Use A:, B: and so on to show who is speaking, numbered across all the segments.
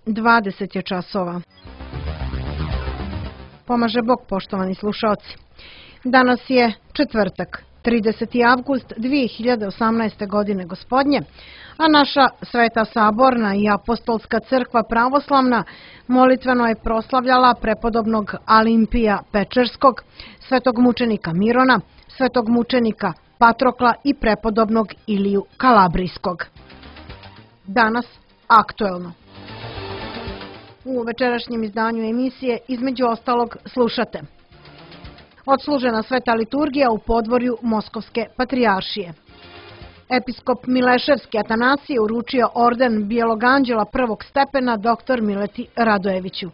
A: 20 je časova. Pomaže Bog, poštovani slušaoci. Danas je četvrtak, 30. avgust 2018. godine gospodnje, a naša Sveta Saborna i Apostolska crkva pravoslavna molitveno je proslavljala prepodobnog Alimpija Pečerskog, svetog mučenika Mirona, svetog mučenika Patrokla i prepodobnog Iliju Kalabrijskog. Danas aktuelno. U večerašnjem izdanju emisije između ostalog slušate: odslužena sveta liturgija u podvorju Moskovske patrijaršije. Episkop Mileševski Atanasije uručio orden Bijelog anđela prvog stepena dr. Mileti Radojeviću.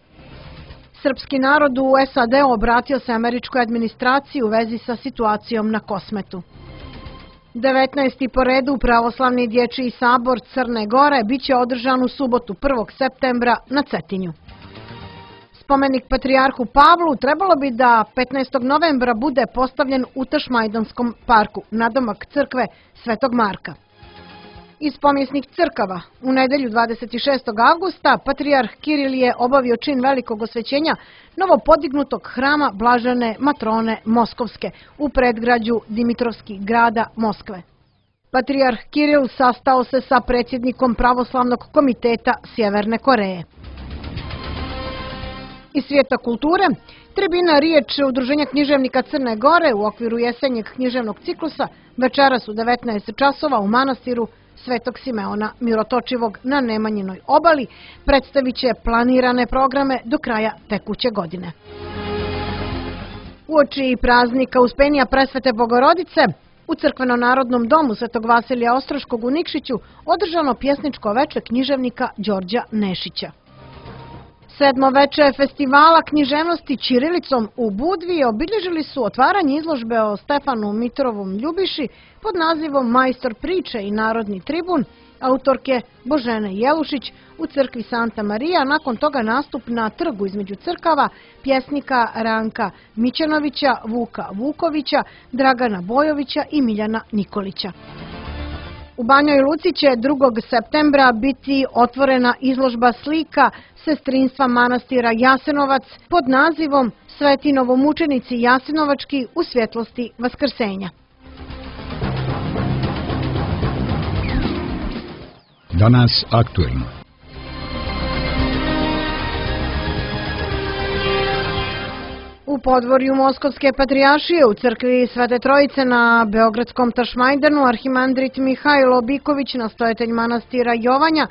A: Srpski narod u SAD obratio se američkoj administraciji u vezi sa situacijom na Kosmetu. 19. po redu pravoslavni dječji sabor Crne Gore biće održan u subotu 1. septembra na Cetinju. Spomenik patrijarhu Pavlu trebalo bi da 15. novembra bude postavljen u Tašmajdanskom parku, nadomak crkve Svetog Marka. Iz pomjesnih crkava u nedelju 26. avgusta patrijarh Kiril je obavio čin velikog osvećenja novopodignutog hrama Blažene Matrone Moskovske u predgrađu Dimitrovski grada Moskve. Patrijarh Kiril sastao se sa predsjednikom Pravoslavnog komiteta Sjeverne Koreje. Iz svijeta kulture, tribina riječ Udruženja književnika Crne Gore u okviru jesenjeg književnog ciklusa večeras u 19 časova u manastiru Svetog Simeona Mirotočivog na Nemanjinoj obali predstavit će planirane programe do kraja tekuće godine. Uoči praznika Uspenija Presvete Bogorodice u Crkveno-narodnom domu Svetog Vasilija Ostroškog u Nikšiću održano pjesničko veče književnika Đorđa Nešića. Sedmo veče festivala književnosti ćirilicom u Budvi obilježili su otvaranje izložbe o Stefanu Mitrovom Ljubiši pod nazivom Majstor priče i narodni tribun autorke Božene Jelušić u crkvi Santa Marija, nakon toga nastup na trgu između crkava pjesnika Ranka Mićenovića, Vuka Vukovića, Dragana Bojovića i Miljana Nikolića. U Banjoj Luci će 2. septembra biti otvorena izložba slika sestrinstva manastira Jasenovac pod nazivom Sveti novomučenici Jasenovački u svjetlosti Vaskrsenja.
B: Danas aktuelno.
A: U podvorju Moskovske patrijaršije u crkvi Svete Trojice na Beogradskom Tašmajdanu arhimandrit Mihajlo Biković, nastojatelj manastira Jovanja,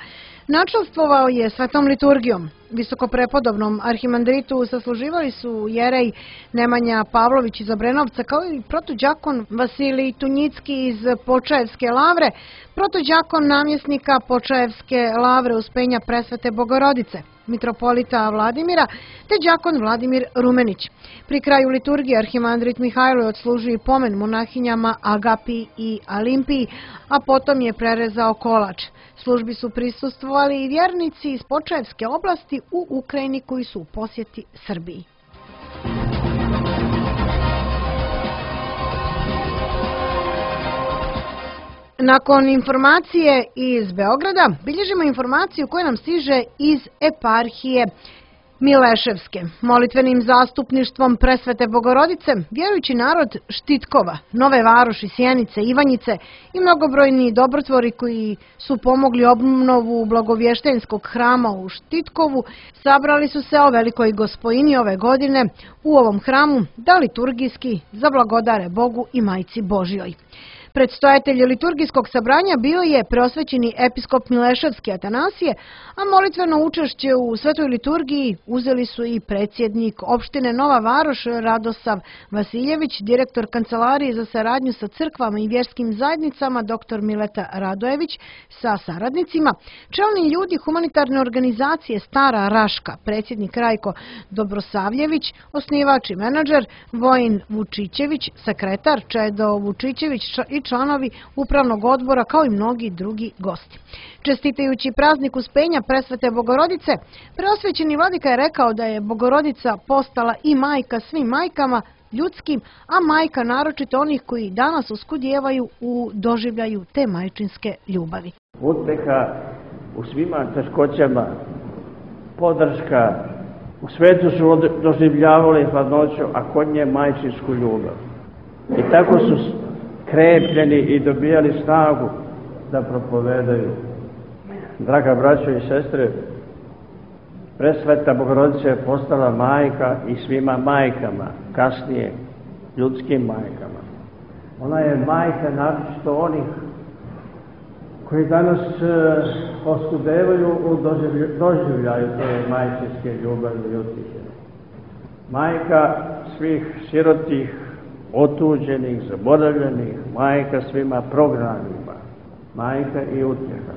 A: načastvovao je svetom liturgijom. Visokoprepodobnom arhimandritu sasluživali su jerej Nemanja Pavlović iz Obrenovca, kao i protođakon Vasilij Tunjicki iz Počaevske lavre, protođakon namjesnika Počaevske lavre Uspenja Presvete Bogorodice, mitropolita Vladimira, te đakon Vladimir Rumenić. Pri kraju liturgije arhimandrit Mihajlo je odslužio pomen monahinjama Agapiji i Alimpiji, a potom je prerezao kolač. Službi su prisustvovali i vjernici iz Počaevske oblasti u Ukrajini koji su u posjeti Srbiji. Nakon informacije iz Beograda, bilježimo informaciju koja nam stiže iz eparhije Mileševske. Molitvenim zastupništvom Presvete Bogorodice, vjerujući narod Štitkova, Nove Varoši, Sjenice, Ivanjice i mnogobrojni dobrotvori koji su pomogli obnovu Blagovještenskog hrama u Štitkovu, sabrali su se o Velikoj Gospojini ove godine u ovom hramu da liturgijski zablagodare Bogu i Majci Božjoj. Predstojatelj liturgijskog sabranja bio je preosvećeni episkop Mileševski Atanasije, a molitveno učešće u svetoj liturgiji uzeli su i predsjednik opštine Nova Varoš Radosav Vasiljević, direktor Kancelarije za saradnju sa crkvama i vjerskim zajednicama dr. Mileta Radojević sa saradnicima, čelni ljudi humanitarne organizacije Stara Raška, predsjednik Rajko Dobrosavljević, osnivač i menadžer, Vojin Vučićević, sekretar, Čedo Vučićević i članovi upravnog odbora, kao i mnogi drugi gosti. Čestitajući praznik Uspenja Presvete Bogorodice, preosvećeni vladika je rekao da je Bogorodica postala i majka svim majkama ljudskim, a majka naročito onih koji danas oskudijevaju u doživljaju te majčinske ljubavi.
C: Uteha u svima teškoćama podrška. U svetu su doživljavali hladnoću, a kod nje majčinsku ljubav. I tako su krepljeni i dobijali snagu da propovedaju. Draga braćo i sestre, Presveta Bogorodica je postala majka i svima majkama, kasnije ljudskim majkama. Ona je majka naročito onih koji danas oskudevaju u doživljaju te majčinske ljubavi i utjehe. Majka svih sirotih, otuđenih, zaboravljenih, majka svima prognanima, majka i utjeha.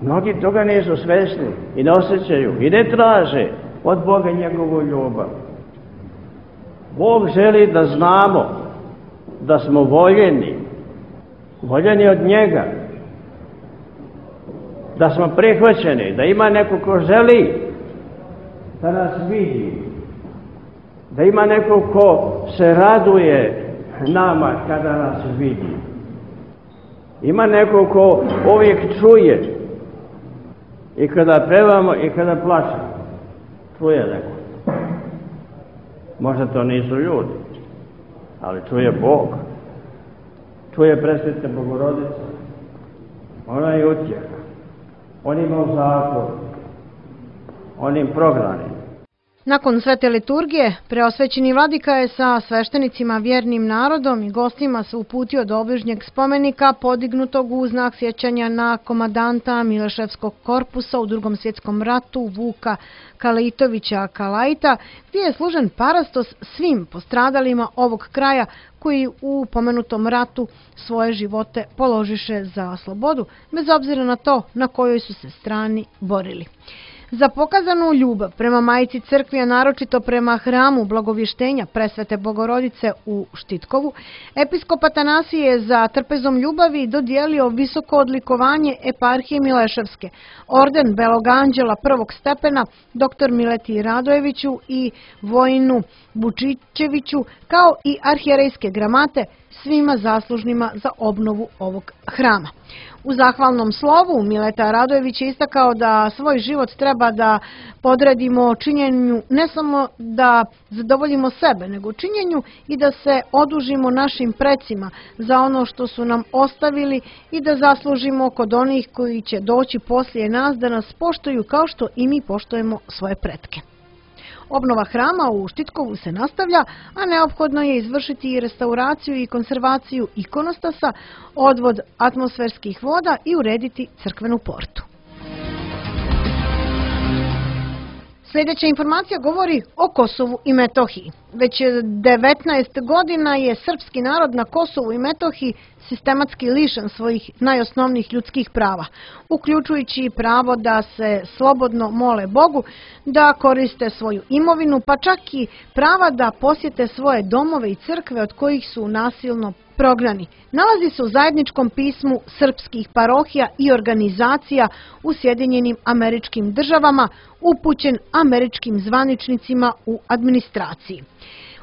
C: Mnogi toga nisu svesni i ne osjećaju i ne traže od Boga njegovu ljubav. Bog želi da znamo da smo voljeni od njega, da smo prihvaćeni, da ima neko ko želi da nas vidi, da ima neko ko se raduje nama kada nas vidi. Ima neko ko uvijek čuje i kada pevamo i kada plačemo. Čuje neko. Možda to nisu ljudi, ali čuje Bog. Čuje Presveta Bogorodica. Ona je utjeha. On ima u zatvoru. Onim prognanim.
A: Nakon svete liturgije, preosvećeni vladika je sa sveštenicima, vjernim narodom i gostima se uputio do obližnjeg spomenika podignutog u znak sjećanja na komadanta Mileševskog korpusa u Drugom svjetskom ratu Vuka Kalajtovića Kalajta, gdje je služen parastos svim postradalima ovog kraja koji u pomenutom ratu svoje živote položiše za slobodu, bez obzira na to na kojoj su se strani borili. Za pokazanu ljubav prema Majci Crkvi, a naročito prema hramu Blagovještenja Presvete Bogorodice u Štitkovu, episkop Atanasije je za trpezom ljubavi dodijelio visoko odlikovanje eparhije Mileševske, orden Belog anđela prvog stepena dr. Mileti Radojeviću i Vojinu Bučićeviću, kao i arhijerejske gramate svima zaslužnima za obnovu ovog hrama. U zahvalnom slovu Mileta Radojević je istakao da svoj život treba da podredimo činjenju ne samo da zadovoljimo sebe, nego činjenju i da se odužimo našim precima za ono što su nam ostavili i da zaslužimo kod onih koji će doći poslije nas da nas poštuju kao što i mi poštujemo svoje pretke. Obnova hrama u Štitkovu se nastavlja, a neophodno je izvršiti i restauraciju i konzervaciju ikonostasa, odvod atmosferskih voda i urediti crkvenu portu. Sljedeća informacija govori o Kosovu i Metohiji. Već 19 godina je srpski narod na Kosovu i Metohiji sistematski lišen svojih najosnovnijih ljudskih prava, uključujući pravo da se slobodno mole Bogu, da koriste svoju imovinu, pa čak i prava da posjete svoje domove i crkve od kojih su nasilno prognani. Nalazi se u zajedničkom pismu srpskih parohija i organizacija u Sjedinjenim Američkim Državama, upućen američkim zvaničnicima u administraciji.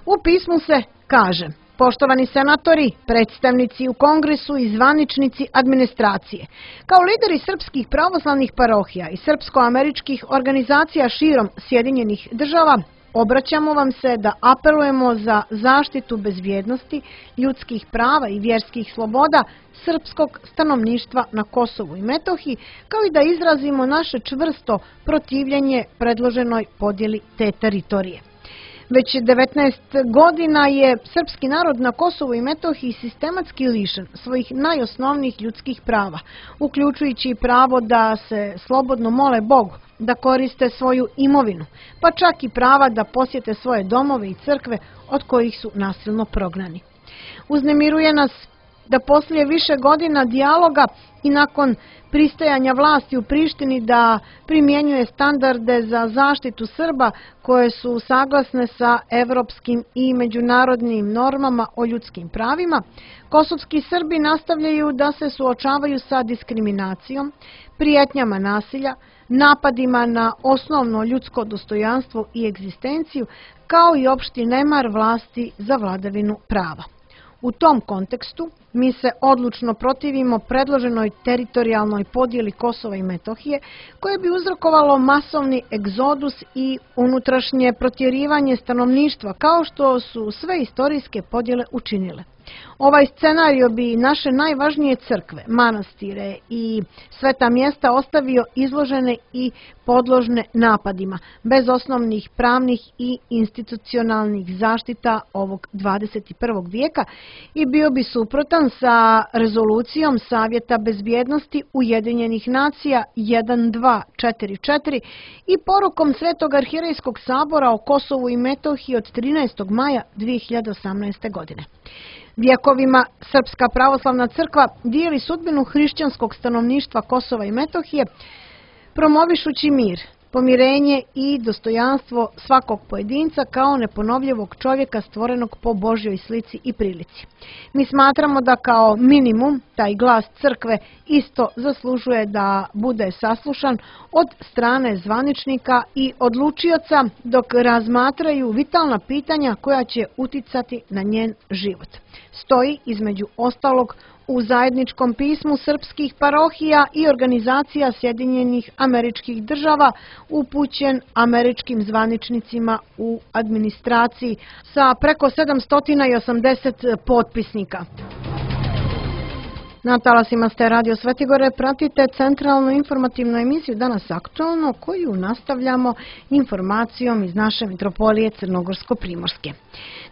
A: U pismu se kaže: poštovani senatori, predstavnici u Kongresu i zvaničnici administracije, kao lideri srpskih pravoslavnih parohija i srpsko-američkih organizacija širom Sjedinjenih Država, obraćamo vam se da apelujemo za zaštitu bezbjednosti, ljudskih prava i vjerskih sloboda srpskog stanovništva na Kosovu i Metohiji, kao i da izrazimo naše čvrsto protivljenje predloženoj podjeli te teritorije. Već 19 godina je srpski narod na Kosovu i Metohiji sistematski lišen svojih najosnovnijih ljudskih prava, uključujući pravo da se slobodno mole Bogu, da koriste svoju imovinu, pa čak i prava da posjete svoje domove i crkve od kojih su nasilno prognani. Uznemiruje nas da poslije više godina dijaloga i nakon pristajanja vlasti u Prištini da primjenjuje standarde za zaštitu Srba koje su saglasne sa evropskim i međunarodnim normama o ljudskim pravima, kosovski Srbi nastavljaju da se suočavaju sa diskriminacijom, prijetnjama nasilja, napadima na osnovno ljudsko dostojanstvo i egzistenciju, kao i opšti nemar vlasti za vladavinu prava. U tom kontekstu mi se odlučno protivimo predloženoj teritorijalnoj podjeli Kosova i Metohije, koje bi uzrokovalo masovni egzodus i unutrašnje protjerivanje stanovništva, kao što su sve istorijske podjele učinile. Ovaj scenario bi naše najvažnije crkve, manastire i sveta mjesta ostavio izložene i podložne napadima, bez osnovnih pravnih i institucionalnih zaštita ovog 21. vijeka i bio bi suprotan sa rezolucijom Savjeta bezbjednosti Ujedinjenih nacija 1244 i porukom Svetog arhierejskog sabora o Kosovu i Metohiji od 13. maja 2018. godine. Vjekovima Srpska pravoslavna crkva dijeli sudbinu hrišćanskog stanovništva Kosova i Metohije, promovišući mir, pomirenje i dostojanstvo svakog pojedinca kao neponovljivog čovjeka stvorenog po Božjoj slici i prilici. Mi smatramo da kao minimum taj glas crkve isto zaslužuje da bude saslušan od strane zvaničnika i odlučioca dok razmatraju vitalna pitanja koja će uticati na njen život. Stoji između ostalog u zajedničkom pismu srpskih parohija i organizacija Sjedinjenih Američkih Država upućen američkim zvaničnicima u administraciji sa preko 780 potpisnika. Na talasima ste Radio Svetigore, pratite centralnu informativnu emisiju Danas aktualno, koju nastavljamo informacijom iz naše mitropolije Crnogorsko-Primorske.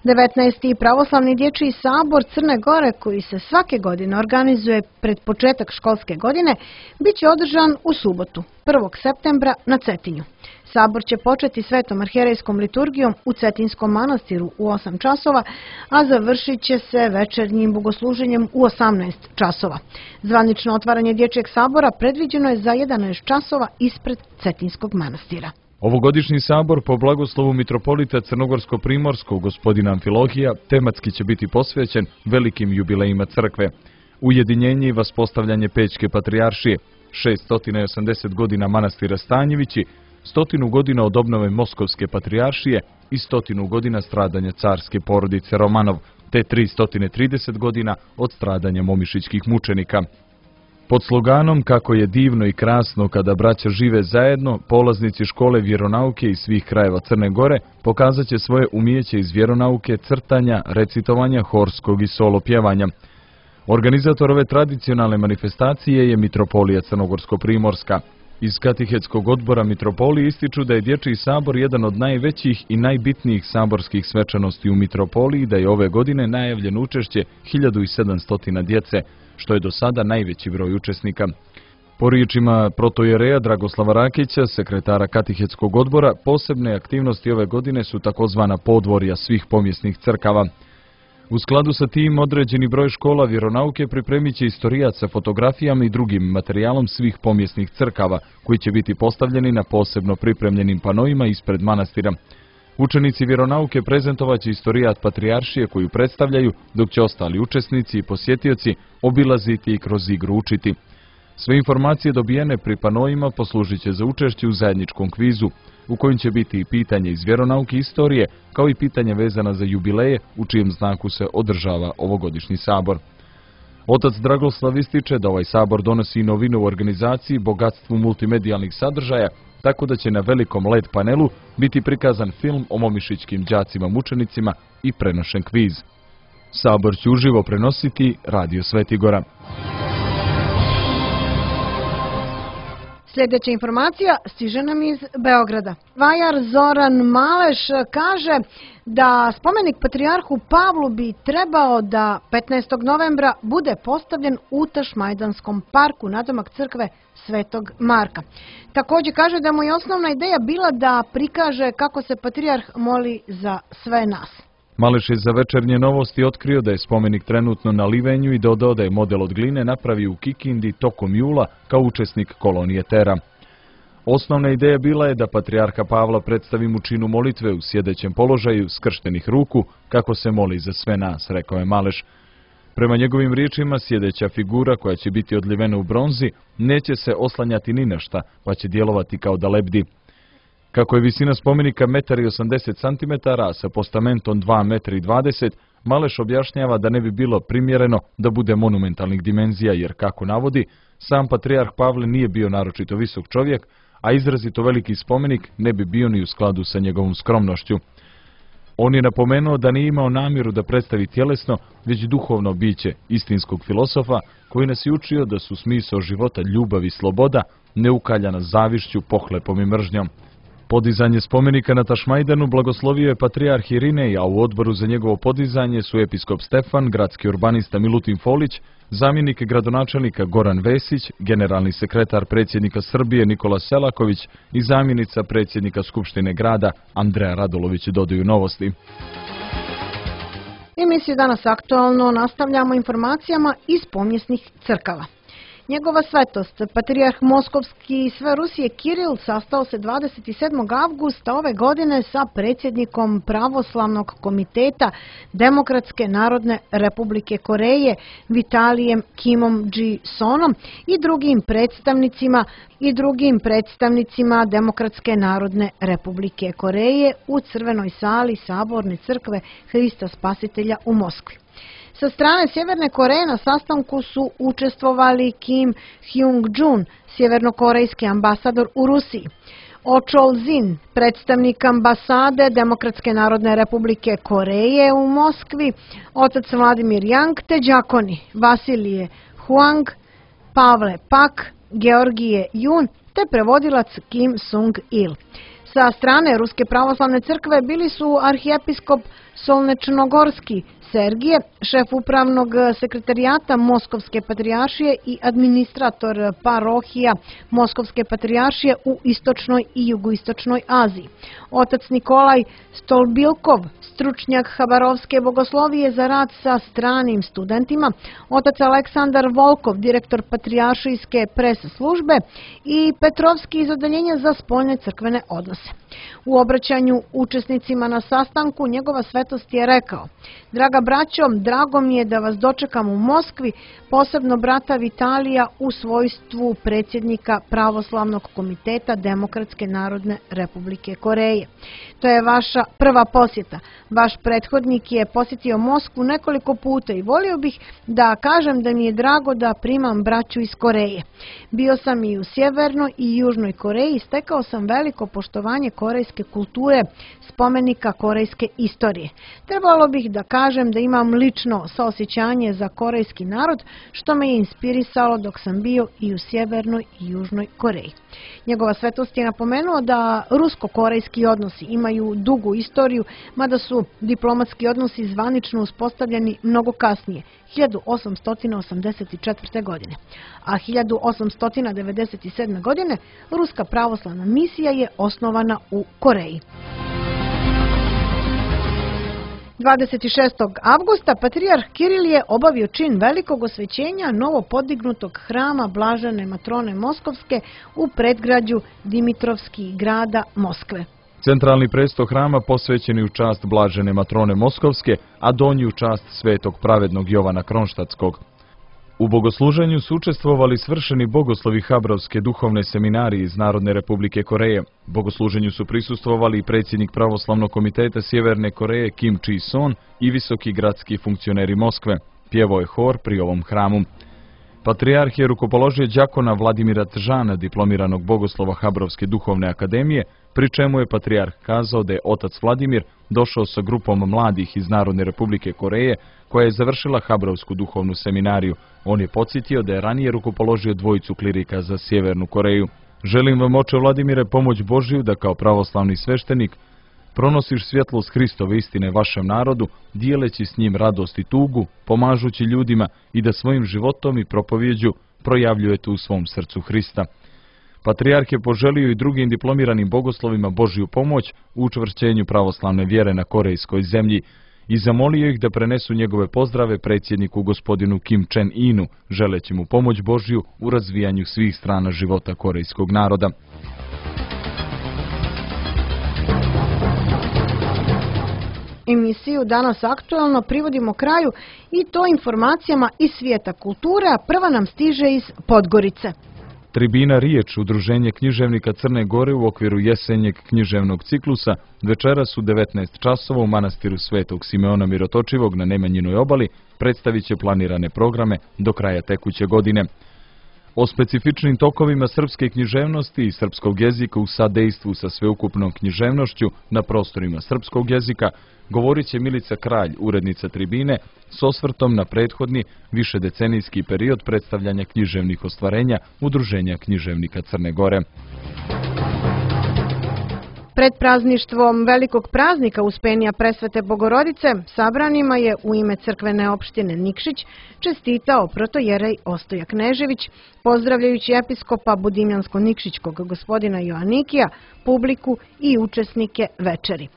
A: 19. pravoslavni dječji sabor Crne Gore, koji se svake godine organizuje pred početak školske godine, bit će održan u subotu, 1. septembra na Cetinju. Sabor će početi svetom arhijerejskom liturgijom u Cetinskom manastiru u 8 časova, a završit će se večernjim bogosluženjem u 18 časova. Zvanično otvaranje dječjeg sabora predviđeno je za 11 časova ispred Cetinskog manastira.
D: Ovogodišnji sabor po blagoslovu mitropolita Crnogorsko-Primorskog gospodina Amfilohija tematski će biti posvećen velikim jubilejima crkve. Ujedinjenje i vaspostavljanje Pećke patrijaršije, 680 godina manastira Stanjevići, 100 godina od obnove Moskovske patrijaršije i 100 godina stradanja carske porodice Romanov, te 330 godina od stradanja momišićkih mučenika. Pod sloganom "Kako je divno i krasno kada braća žive zajedno", polaznici škole vjeronauke iz svih krajeva Crne Gore pokazat će svoje umijeće iz vjeronauke, crtanja, recitovanja, horskog i solo pjevanja. Organizator ove tradicionalne manifestacije je mitropolija Crnogorsko-Primorska. Iz katehetskog odbora mitropolije ističu da je dječji sabor jedan od najvećih i najbitnijih saborskih svečanosti u mitropoliji, da je ove godine najavljeno učešće 1700 djece, što je do sada najveći broj učesnika. Po riječima protojereja Dragoslava Rakića, sekretara katehetskog odbora, posebne aktivnosti ove godine su takozvana podvorja svih pomjesnih crkava. U skladu sa tim, određeni broj škola vjeronauke pripremit će istorijat sa fotografijama i drugim materijalom svih pomjesnih crkava, koji će biti postavljeni na posebno pripremljenim panoima ispred manastira. Učenici vjeronauke prezentovaće istorijat patrijaršije koju predstavljaju, dok će ostali učesnici i posjetioci obilaziti i kroz igru učiti. Sve informacije dobijene pri panoima poslužit će za učešće u zajedničkom kvizu, u kojem će biti i pitanje iz vjeronauke i istorije, kao i pitanje vezana za jubileje, u čijem znaku se održava ovogodišnji sabor. Otac Dragoslav ističe da ovaj sabor donosi i novinu u organizaciji, bogatstvu multimedijalnih sadržaja, tako da će na velikom LED panelu biti prikazan film o momišićkim đacima mučenicima i prenošen kviz. Sabor će uživo prenositi Radio Svetigora.
A: Sljedeća informacija stiže nam iz Beograda. Vajar Zoran Maleš kaže da spomenik patrijarhu Pavlu bi trebao da 15. novembra bude postavljen u Tašmajdanskom parku nadomak crkve Svetog Marka. Također kaže da mu je osnovna ideja bila da prikaže kako se patrijarh moli za sve nas.
D: Maleš je za Večernje novosti otkrio da je spomenik trenutno na livenju i dodao da je model od gline napravio u Kikindi tokom jula kao učesnik kolonije Tera. Osnovna ideja bila je da patrijarha Pavla predstavi mu činu molitve u sjedećem položaju skrštenih ruku kako se moli za sve nas, rekao je Maleš. Prema njegovim riječima, sjedeća figura koja će biti odlivena u bronzi neće se oslanjati ni na šta, pa će djelovati kao da lebdi. Kako je visina spomenika 1,80 cm, a sa postamentom 2,20 m, Maleš objašnjava da ne bi bilo primjereno da bude monumentalnih dimenzija, jer, kako navodi, sam patrijarh Pavle nije bio naročito visok čovjek, a izrazito veliki spomenik ne bi bio ni u skladu sa njegovom skromnošću. On je napomenuo da nije imao namjeru da predstavi tjelesno, već duhovno biće istinskog filosofa, koji nas je učio da su smisao života ljubav i sloboda, neukaljana zavišću, pohlepom i mržnjom. Podizanje spomenika na Tašmajdanu blagoslovio je patrijarh Irinej, a u odboru za njegovo podizanje su episkop Stefan, gradski urbanista Milutin Folić, zamjenik gradonačelnika Goran Vesić, generalni sekretar predsjednika Srbije Nikola Selaković i zamjenica predsjednika Skupštine grada Andreja Radulović, dodaju Novosti.
A: Emisiju Danas aktualno nastavljamo informacijama iz pomjesnih crkava. Njegova svetost, patrijarh Moskovski i sve Rusije Kiril, sastao se 27. avgusta ove godine sa predsjednikom Pravoslavnog komiteta Demokratske narodne republike Koreje Vitalijem Kimom Ji-sonom i drugim predstavnicima Demokratske narodne republike Koreje u Crvenoj sali Saborne crkve Hrista Spasitelja u Moskvi. Sa strane Sjeverne Koreje na sastanku su učestvovali Kim Hyung-jun, sjevernokorejski ambasador u Rusiji, Oh Chol-zin, predstavnik ambasade Demokratske narodne republike Koreje u Moskvi, otac Vladimir Yang te đakoni Vasilije Huang, Pavle Pak, Georgije Jun te prevodilac Kim Sung-il. Sa strane Ruske pravoslavne crkve bili su arhijepiskop Solnečnogorski Sergije, šef upravnog sekretarijata Moskovske patrijaršije i administrator parohija Moskovske patrijaršije u istočnoj i jugoistočnoj Aziji. Otac Nikolaj Stolbilkov, stručnjak Habarovske bogoslovije za rad sa stranim studentima, otac Aleksandar Volkov, direktor patrijaršijske pres službe i Petrovski iz odeljenja za spoljne crkvene odnose. U obraćanju učesnicima na sastanku njegova svetost je rekao: "Draga braćo, drago mi je da vas dočekam u Moskvi, posebno brata Vitalija u svojstvu predsjednika Pravoslavnog komiteta Demokratske narodne republike Koreje. To je vaša prva posjeta. Vaš prethodnik je posjetio Moskvu nekoliko puta i volio bih da kažem da mi je drago da primam braću iz Koreje. Bio sam i u Sjevernoj i Južnoj Koreji, stekao sam veliko poštovanje korejske kulture, spomenika korejske istorije. Trebalo bih da kažem da imam lično saosjećanje za korejski narod, što me je inspirisalo dok sam bio i u Sjevernoj i Južnoj Koreji." Njegova svetost je napomenuo da rusko-korejski odnosi imaju dugu istoriju, mada su diplomatski odnosi zvanično uspostavljeni mnogo kasnije, 1884. godine. A 1897. godine Ruska pravoslavna misija je osnovana u Koreji. 26. avgusta patrijarh Kiril je obavio čin velikog osvećenja novo podignutog hrama Blažene Matrone Moskovske u predgrađu Dimitrovski grada Moskve.
D: Centralni presto hrama posvećen je u čast Blažene Matrone Moskovske, a donji u čast svetog pravednog Jovana Kronštatskog. U bogosluženju su učestvovali svršeni bogoslovi Habrovske duhovne seminarije iz Narodne republike Koreje. Bogosluženju su prisustvovali i predsjednik Pravoslavnog komiteta Sjeverne Koreje Kim Ji-son i visoki gradski funkcioneri Moskve. Pjevao je hor pri ovom hramu. Patrijarh je rukopoložio đakona Vladimira Tžana, diplomiranog bogoslova Habrovske duhovne akademije, pri čemu je patrijarh kazao da je otac Vladimir došao sa grupom mladih iz Narodne republike Koreje, koja je završila Habrovsku duhovnu seminariju. On je podsjetio da je ranije rukopoložio dvojicu klirika za Sjevernu Koreju. "Želim vam, oče Vladimire, pomoć Božiju da kao pravoslavni sveštenik pronosiš svjetlost Hristove istine vašem narodu, dijeleći s njim radost i tugu, pomažući ljudima i da svojim životom i propovjeđu projavljujete u svom srcu Hrista." Patrijarh je poželio i drugim diplomiranim bogoslovima Božju pomoć u učvršćenju pravoslavne vjere na korejskoj zemlji i zamolio ih da prenesu njegove pozdrave predsjedniku gospodinu Kim Chen-inu, želeći mu pomoć Božju u razvijanju svih strana života korejskog naroda.
A: Emisiju Danas aktualno privodimo kraju i to informacijama iz svijeta kulture, a prva nam stiže iz Podgorice.
D: Tribina Riječ, udruženje književnika Crne Gore u okviru jesenjeg književnog ciklusa, večeras u 19 časova u manastiru Svetog Simeona Mirotočivog na Nemanjinoj obali predstavit će planirane programe do kraja tekuće godine. O specifičnim tokovima srpske književnosti i srpskog jezika u sadejstvu sa sveukupnom književnošću na prostorima srpskog jezika govorit će Milica Kralj, urednica Tribine, s osvrtom na prethodni višedecenijski period predstavljanja književnih ostvarenja Udruženja književnika Crne Gore.
A: Pred prazništvom velikog praznika Uspenja Presvete Bogorodice sabranima je u ime crkvene opštine Nikšić čestitao protojerej Ostoja Knežević, pozdravljajući episkopa Budimljansko-Nikšićkog gospodina Joanikija, publiku i učesnike večeri.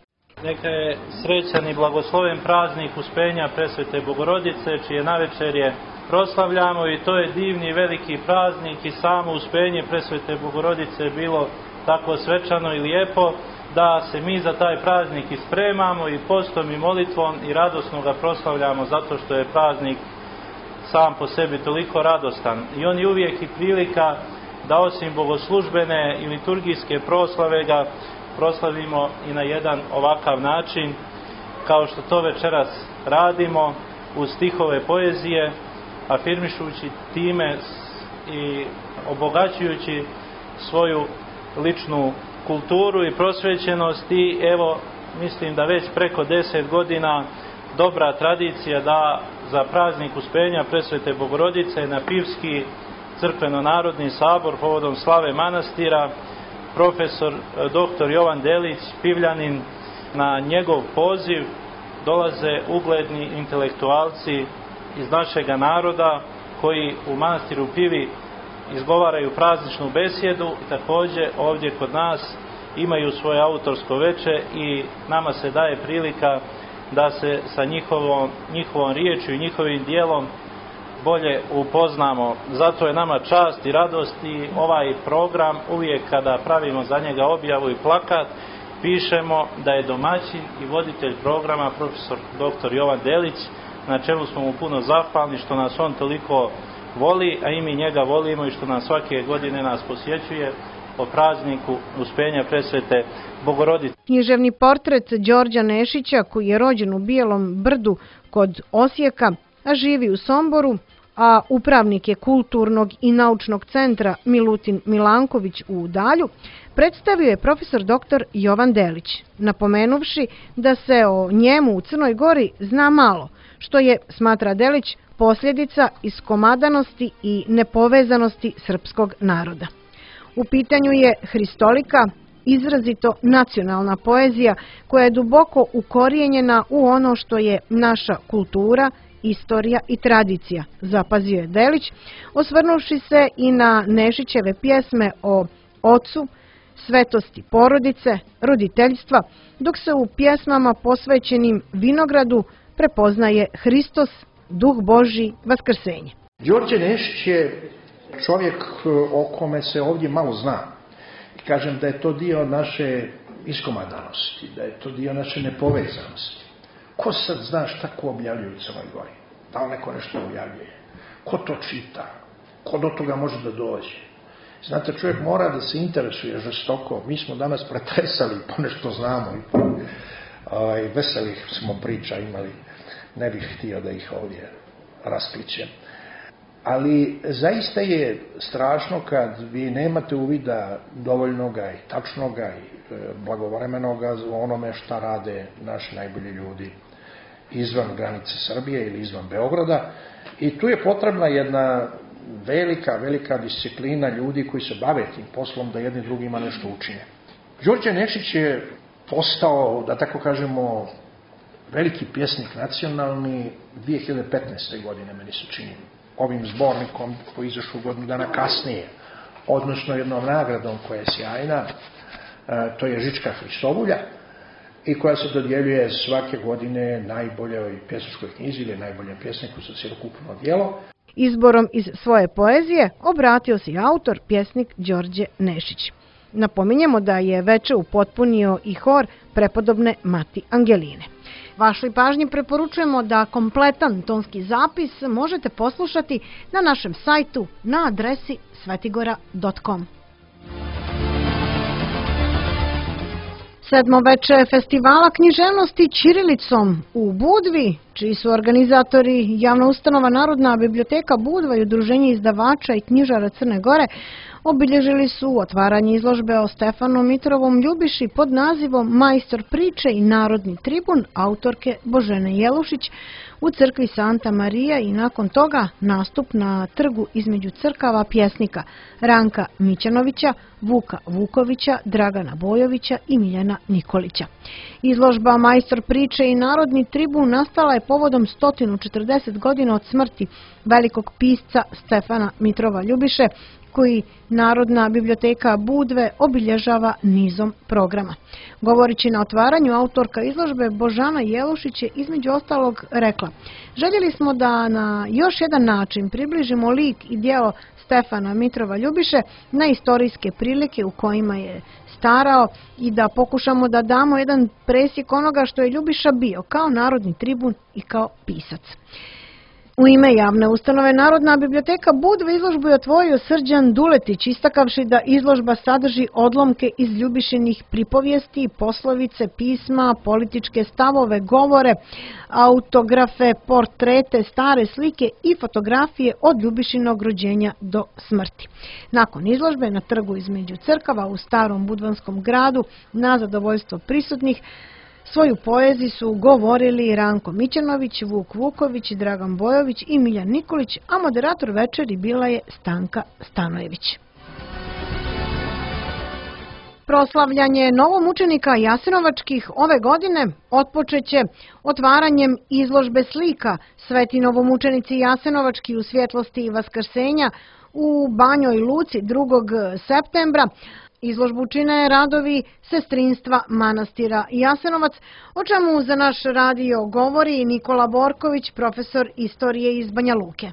E: Neka je srećan i blagosloven praznik Uspenja Presvete Bogorodice, čije navečerje proslavljamo, i to je divni veliki praznik i samo Uspenje Presvete Bogorodice je bilo tako svečano i lijepo da se mi za taj praznik i spremamo i postom i molitvom i radosno ga proslavljamo zato što je praznik sam po sebi toliko radostan. I on je uvijek i prilika da osim bogoslužbene i liturgijske proslave ga proslavimo i na jedan ovakav način kao što to večeras radimo uz stihove poezije, afirmišući time i obogaćujući svoju ličnu kulturu i prosvećenost. I evo, mislim da već preko 10 godina dobra tradicija da za praznik Uspenja Presvete Bogorodice na Pivski crkveno-narodni sabor povodom slave manastira profesor dr. Jovan Delić, Pivljanin, na njegov poziv dolaze ugledni intelektualci iz našega naroda koji u manastiru Pivi izgovaraju prazničnu besjedu i također ovdje kod nas imaju svoje autorsko veče i nama se daje prilika da se sa njihovom riječju i njihovim dijelom bolje upoznamo. Zato je nama čast i radost i ovaj program uvijek kada pravimo za njega objavu i plakat pišemo da je domaćin i voditelj programa profesor dr. Jovan Delić, na čemu smo mu puno zahvalni što nas on toliko voli, a i mi njega volimo i što nas svake godine nas posjećuje o prazniku Uspenja Presvete Bogorodice.
A: Književni portret Đorđa Nešića, koji je rođen u Bijelom Brdu kod Osijeka, a živi u Somboru, a upravnik je kulturnog i naučnog centra Milutin Milanković u Udalju, predstavio je profesor dr. Jovan Delić, napomenuvši da se o njemu u Crnoj Gori zna malo, što je, smatra Delić, posljedica iskomadanosti i nepovezanosti srpskog naroda. U pitanju je hristolika, izrazito nacionalna poezija koja je duboko ukorijenjena u ono što je naša kultura, istorija i tradicija, zapazio je Delić, osvrnuvši se i na Nešićeve pjesme o ocu, svetosti porodice, roditeljstva, dok se u pjesmama posvećenim vinogradu prepoznaje Hristos, Duh Božji, Vaskrsenje.
F: Đorđe Nešić je čovjek o kome se ovdje malo zna. Kažem da je to dio naše iskomadanosti, da je to dio naše nepovezanosti. Ko sad zna šta ko objavljuje u Crnoj Gori? Da li neko nešto objavljuje? Ko to čita? Ko do toga može da dođe? Znate, čovjek mora da se interesuje žestoko. Mi smo danas pretresali, ponešto znamo i veselih smo priča imali. Ne bih htio da ih ovdje rasplićem. Ali zaista je strašno kad vi nemate uvida dovoljnoga i tačnoga i blagovremenoga o onome šta rade naši najbolji ljudi izvan granice Srbije ili izvan Beograda. I tu je potrebna jedna velika disciplina ljudi koji se bave tim poslom da jedni drugima nešto učine. Đorđe Nešić je postao, da tako kažemo, veliki pjesnik nacionalni 2015. godine, meni se čini, ovim zbornikom koji izašao godinu dana kasnije, odnosno jednom nagradom koja je sjajna, to je Žička Hristobulja, i koja se dodjeljuje svake godine najboljoj pjesničkoj knjizi ili najboljem pjesniku za cjelokupno djelo.
A: Izborom iz svoje poezije obratio se i autor, pjesnik Đorđe Nešić. Napominjemo da je veče upotpunio i hor prepodobne Mati Angeline. Vašoj pažnji preporučujemo da kompletan tonski zapis možete poslušati na našem sajtu na adresi svetigora.com. Sedmoveče festivala književnosti ćirilicom u Budvi, čiji su organizatori javna ustanova Narodna biblioteka Budva i Udruženje izdavača i knjižara Crne Gore, obilježili su otvaranje izložbe o Stefanu Mitrovom Ljubiši pod nazivom Majstor priče i narodni tribun autorke Božene Jelušić u crkvi Santa Marija i nakon toga nastup na trgu između crkava pjesnika Ranka Mićanovića, Vuka Vukovića, Dragana Bojovića i Miljana Nikolića. Izložba Majstor priče i narodni tribun nastala je povodom 140 godina od smrti velikog pisca Stefana Mitrova Ljubiše, koji Narodna biblioteka Budve obilježava nizom programa. Govorići na otvaranju, autorka izložbe Božana Jelušić je između ostalog rekla: "Željeli smo da na još jedan način približimo lik i djelo Stefana Mitrova Ljubiše na istorijske prilike u kojima je starao i da pokušamo da damo jedan presjek onoga što je Ljubiša bio kao narodni tribun i kao pisac." U ime javne ustanove Narodna biblioteka Budve izložbu je otvorio Srđan Duletić, istakavši da izložba sadrži odlomke iz Ljubišinih pripovijesti, poslovice, pisma, političke stavove, govore, autografe, portrete, stare slike i fotografije od Ljubišinog rođenja do smrti. Nakon izložbe na trgu između crkava u starom budvanskom gradu, na zadovoljstvo prisutnih, svoju poeziju su govorili Ranko Mićanović, Vuk Vuković, Dragan Bojović i Miljan Nikolić, a moderator večeri bila je Stanka Stanojević. Proslavljanje novomučenika jasenovačkih ove godine otpočeće otvaranjem izložbe slika Sveti novomučenici jasenovački u svjetlosti Vaskrsenja u Banjoj Luci 2. septembra. Izložbu čine radovi sestrinstva manastira Jasenovac, o čemu za naš radio govori Nikola Borković, profesor istorije iz Banja Luke.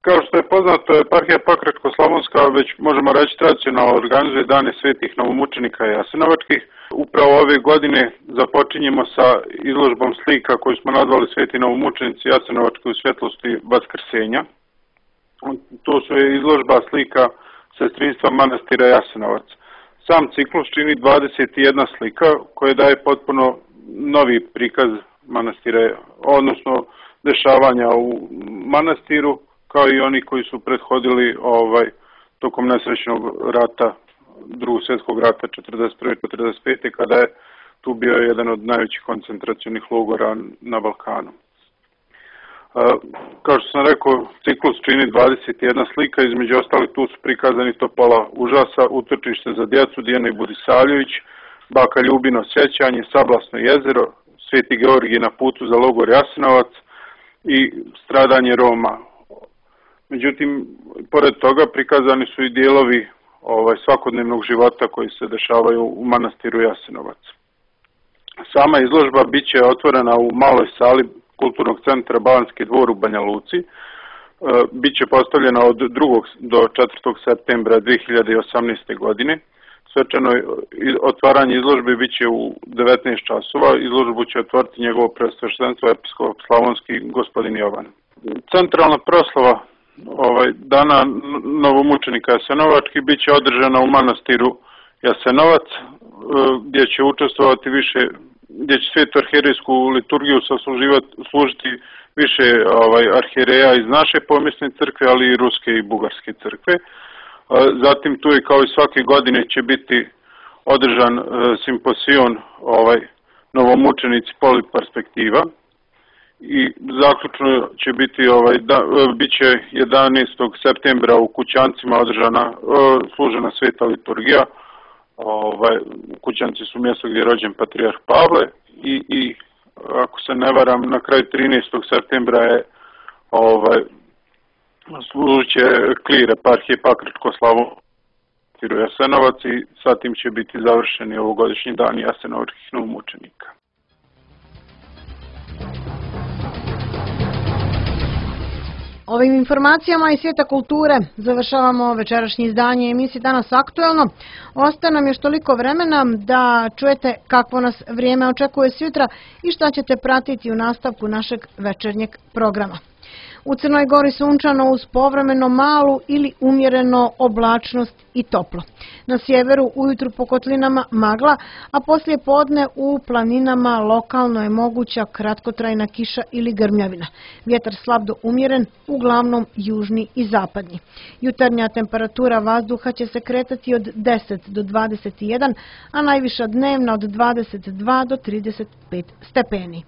G: Kao što je poznato, eparhija Pakračko-slavonska već možemo reći tradicionalno organizuje dane svetih novomučenika jasenovačkih. Upravo ove godine započinjemo sa izložbom slika koju smo nazvali Sveti novomučenici jasenovački u svjetlosti Vaskrsenja. To su izložba slika sestrinstva manastira Jasenovac. Sam ciklus čini 21 slika koje daje potpuno novi prikaz manastira, odnosno dešavanja u manastiru, kao i oni koji su prethodili tokom nesrećnog rata, drugog svjetskog rata 1941-1945. kada je tu bio jedan od najvećih koncentracionih logora na Balkanu. Kao što sam rekao, ciklus čini 21 slika, između ostalih tu su prikazani Topola užasa, Utočište za djecu, Dijana i Budisavljević, Baka Ljubino sjećanje, Sablasno jezero, Sveti Georgij na putu za logor Jasenovac i stradanje Roma. Međutim, pored toga prikazani su i dijelovi svakodnevnog života koji se dešavaju u manastiru Jasenovac. Sama izložba bit će otvorena u maloj sali Kulturnog centra Balanski dvor u Banja Luci. Biće postavljena od 2. do 4. septembra 2018. godine. Svečano otvaranje izložbe bit će u 19 časova. Izložbu će otvoriti njegovo preosveštenstvo episkop slavonski gospodin Jovan. Centralna proslava dana novomučenika jasenovački bit će održana u manastiru Jasenovac, gdje će učestvovati gdje će svetu arhijerejsku liturgiju služiti više arhijereja iz naše pomjesne crkve, ali i ruske i bugarske crkve. Zatim tu je kao i svake godine će biti održan simposion novomučenici poliperspektiva i zaključno će biti bit će 11. septembra u Kućancima održana služena sveta liturgija. Kućanci su mjesto gdje je rođen patrijarh Pavle i ako se ne varam, na kraju 13. septembra je služit će klir eparhije Pakračko-slavonski Jasenovac i sa tim će biti završeni ovogodišnji dani jasenovačkih novomučenika.
A: Ovim informacijama iz svijeta kulture završavamo večerašnje izdanje emisije Danas aktuelno. Ostaje nam još toliko vremena da čujete kakvo nas vrijeme očekuje sutra i šta ćete pratiti u nastavku našeg večernjeg programa. U Crnoj Gori sunčano uz povremeno malu ili umjereno oblačnost i toplo. Na sjeveru ujutru po kotlinama magla, a poslije podne u planinama lokalno je moguća kratkotrajna kiša ili grmljavina. Vjetar slab do umjeren, uglavnom južni i zapadnji. Jutarnja temperatura vazduha će se kretati od 10 do 21, a najviša dnevna od 22 do 35 stepeni.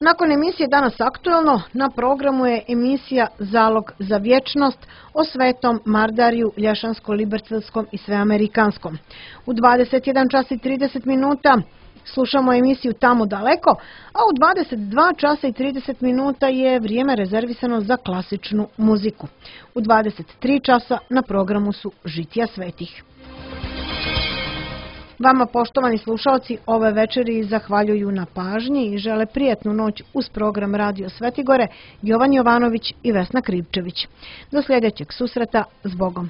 A: Nakon emisije Danas aktuelno, na programu je emisija Zalog za vječnost o Svetom Mardariju, Lješansko-Libercevskom i Sveamerikanskom. U 21 čas i 30 minuta slušamo emisiju Tamo daleko, a u 22 časa i 30 minuta je vrijeme rezervisano za klasičnu muziku. U 23 časa na programu su Žitija svetih. Vama, poštovani slušalci, ove večeri zahvaljuju na pažnji i žele prijatnu noć uz program Radio Svetigore Jovan Jovanović i Vesna Krivčević. Do sljedećeg susreta, s Bogom!